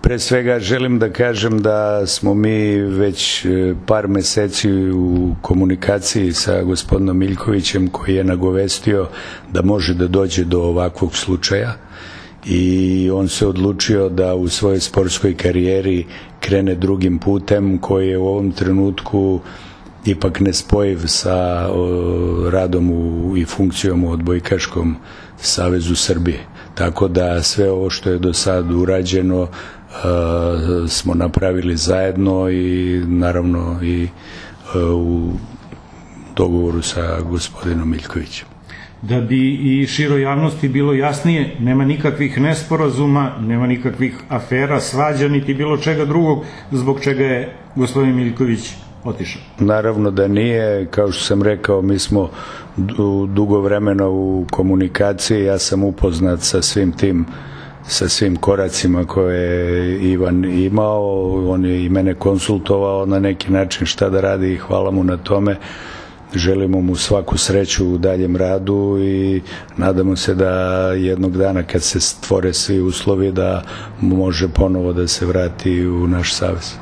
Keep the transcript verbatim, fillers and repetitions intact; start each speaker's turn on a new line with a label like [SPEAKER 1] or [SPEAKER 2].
[SPEAKER 1] Pre svega želim da kažem da smo mi već par meseci u komunikaciji sa gospodinom Miljkovićem, koji je nagovestio da može da dođe do ovakvog slučaja, i on se odlučio da u svojoj sportskoj karijeri krene drugim putem koji je u ovom trenutku ipak nespojiv sa radom u, i funkcijom u Odbojkaškom savezu Srbije. Tako da sve ovo što je do sad urađeno Uh, smo napravili zajedno i naravno i uh, u dogovoru sa gospodinom Miljkovićem.
[SPEAKER 2] Da bi i široj javnosti bilo jasnije, nema nikakvih nesporazuma, nema nikakvih afera, svađa, niti bilo čega drugog zbog čega je gospodin Miljković otišao.
[SPEAKER 1] Naravno da nije, kao što sam rekao, mi smo dugo vremena u komunikaciji, ja sam upoznat sa svim tim sa svim koracima koje je Ivan imao, on je i mene konsultovao na neki način šta da radi i hvala mu na tome. Želimo mu svaku sreću u daljem radu i nadamo se da jednog dana kad se stvore svi uslovi da može ponovo da se vrati u naš savez.